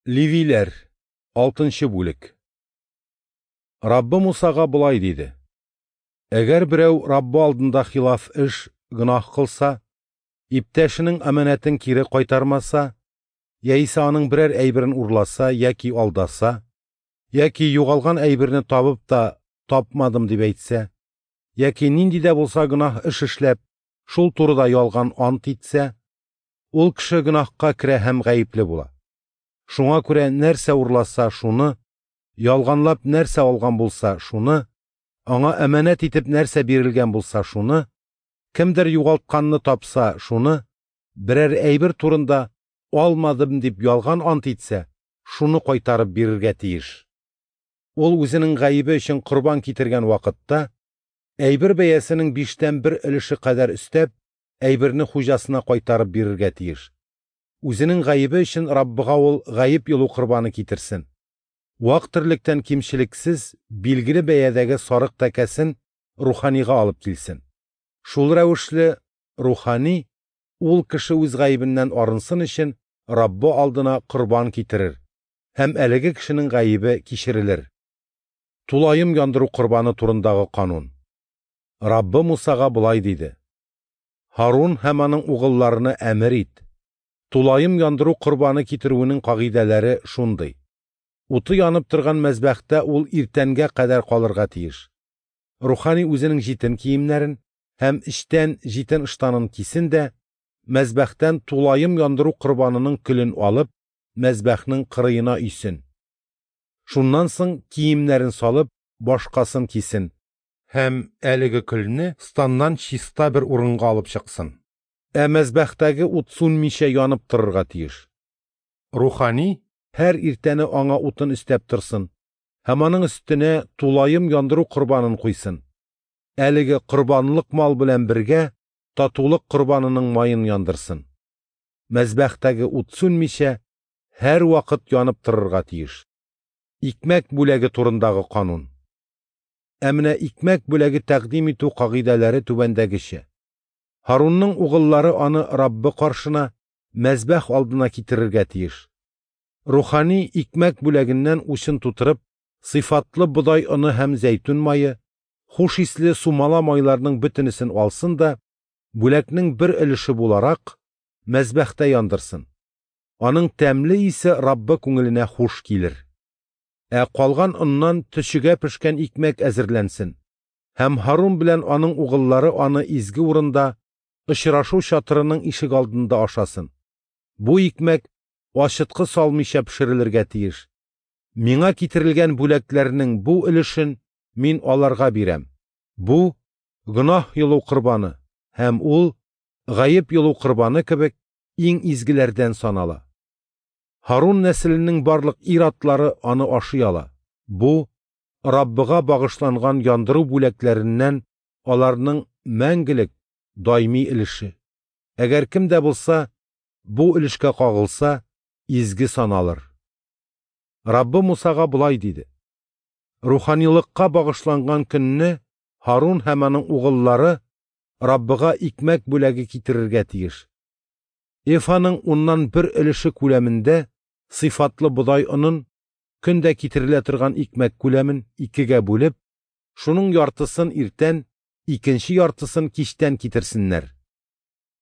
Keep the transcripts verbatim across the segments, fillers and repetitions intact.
Левиләр, алтынчы бүлек. Раббы Мусага болай диде: Әгәр берәү Раббы алдында хилаф эш, гөнаһ кылса, иптәшенең аманәтен кире кайтармаса, яисә аның берәр әйберен урласа яки алдаса, яки югалган әйберне табып та тапмадым дип әйтсә, яки нинди дә булса гөнаһ эш эшләп, шул турыда ялган ант итсә, ул кеше гөнаһка керә һәм гаепле була. Шуңа күрә нәрсә урласа шуны, ялганлап нәрсә алган булса шуны, аңа әманәт итеп нәрсә бирелгән булса шуны, кемдер югалтканны тапса шуны, берәр әйбер турында алмадым дип ялган ант итсә, шуны кайтарып бирергә тиеш. Ул үзенең гаебе өчен корбан китергән вакытта, әйбер бәясенең биштән бер өлеше кадәр өстәп, әйберне хуҗасына кайтарып бирергә тиеш. Үзенең гаебе өчен Раббыга ул гаеп йолу корбаны китерсен. Вак терлектән кимчелексез билгеле бәядәге сарык тәкәсен руханига алып килсен. Шул рәвешле рухани ул кеше үз гаебеннән арынсын өчен Раббы алдына корбан китерер һәм әлеге кешенең гаебе кичерелер. Тулаем яндыру корбаны турындагы канун. Раббы Мусага болай диде: Һарун һәм аның угылларына әмер ит. Тулаем яндыру корбаны китерүенең кагыйдәләре шундый: уты янып торган мәзбәхтә ул иртәнгә кадәр калырга тиеш. Рухани үзенең җитен киемнәрен һәм эчтән җитен ыштанын кисен дә, мәзбәхтән тулаем яндыру корбанының көлен алып, мәзбәхнең кырыена өйсен. Шуннан соң киемнәрен салып, башкасын кисен һәм әлеге көлне станнан чиста бер урынга алып чыксын. Ә мәзбәхтәге ут сүнмичә янып торырга тиеш. Рухани һәр иртәне аңа утын өстәп торсын һәм аның өстенә тулаем яндыру корбанын куйсын. Әлеге корбанлык мал белән бергә татулык корбанының маен яндырсын. Мәзбәхтәге ут сүнмичә һәр вакыт янып торырга тиеш. Икмәк бүләге турындагы канун. Ә менә икмәк бүләге тәкъдим итү кагыйдәләре түбәндәгечә. Һарунның угыллары аны Раббы каршына, мәзбәх алдына китерергә тиеш. Рухани икмәк бүләгеннән учын тутырып, сыйфатлы бодай оны һәм зәйтүн мае, хуш исле сумала майларының бөтенесен алсын да, бүләкнең бер өлеше буларак, мәзбәхтә яндырсын. Аның тәмле исе Раббы күңеленә хуш килер. Ә калган оннан төчегә пешкән икмәк әзерләнсен. Һәм Һарун белән аның угыллары аны изге урында, очрашу чатырының ишек алдында ашасын. Бу икмәк ачыткы салмыйча пешерелергә тиеш. Миңа китерелгән бүләкләрнең бу өлешен мин аларга бирәм. Бу гөнаһ йолу корбаны һәм ул гаеп йолу корбаны кебек иң изгеләрдән санала. Һарун нәселенең барлык ир-атлары аны ашый ала. Бу Раббыга багышланган яндыру бүләкләреннән аларның мәңгелек даими өлеше. Әгәр кем дә булса бу өлешкә кагылса, изге саналыр. Раббы Мусага болай диде: Руханилыкка багышланган көнне Һарун һәм аның угыллары Раббыга икмәк бүләге китерергә тиеш. Эфаның уннан бер өлеше күләмендә сыйфатлы бодай онын, көндә китерелә торган икмәк күләмен икегә бүлеп, шуның яртысын иртән, икенче яртысын кичтән китерсеннәр.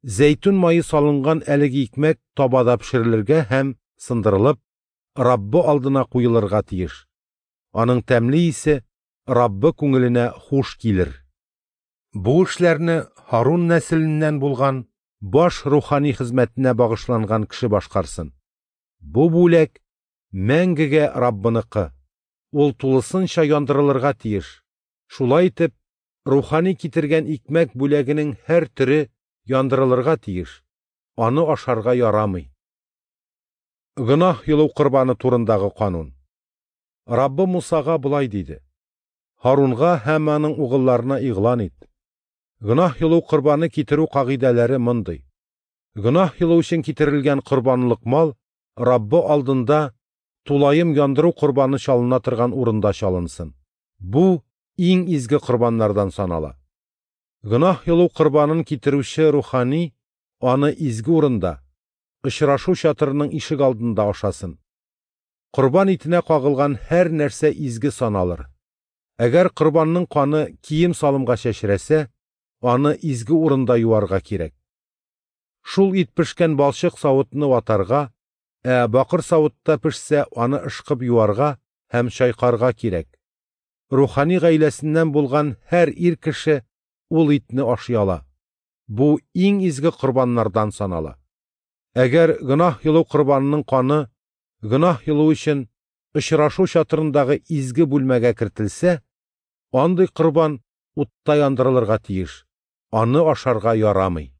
Зәйтүн мае салынган әлеге икмәк табада пешерелергә һәм сындырылып, Раббы алдына куелырга тиеш. Аның тәмле исе Раббы күңеленә хуш килер. Бу эшләрне Һарун нәселеннән булган баш рухани хезмәтенә багышланган кеше башкарсын. Бу бүләк мәңгегә Раббыныкы. Ул тулысынча яндырылырга тиеш. Шулай итеп, рухани китергән икмәк бүләгенең һәр төре яндырылырга тиеш. Аны ашарга ярамый. Гөнаһ йолу корбаны турындагы канун. Раббы Мусага болай диде: Һарунга һәм аның угылларына игълан ит. Гөнаһ йолу корбаны китерү кагыйдәләре мондый: Гөнаһ йолу өчен китерелгән корбанлык мал Раббы алдында тулаем яндыру корбаны чалына торган урында чалынсын. Бу иң изге корбаннардан санала. Гөнаһ йолу корбанын китерүче рухани аны изге урында, очрашу чатырының ишек алдында ашасын. Корбан итенә кагылган һәр нәрсә изге саналыр. Әгәр корбанның каны кием-салымга чәчрәсә, аны изге урында юарга кирәк. Шул ит пешкән балчык савытны ватарга, ә бакыр савытта пешсә, аны ышкып юарга һәм чайкарга кирәк. Рухани гаиләсеннән булган һәр ир кеше ул итне ашый ала. Бу иң изге корбаннардан санала. Әгәр гөнаһ йолу корбанының каны гөнаһ йолу өчен очрашу чатырындагы изге бүлмәгә кертелсә, андый корбан утта яндырылырга тиеш, аны ашарга ярамый.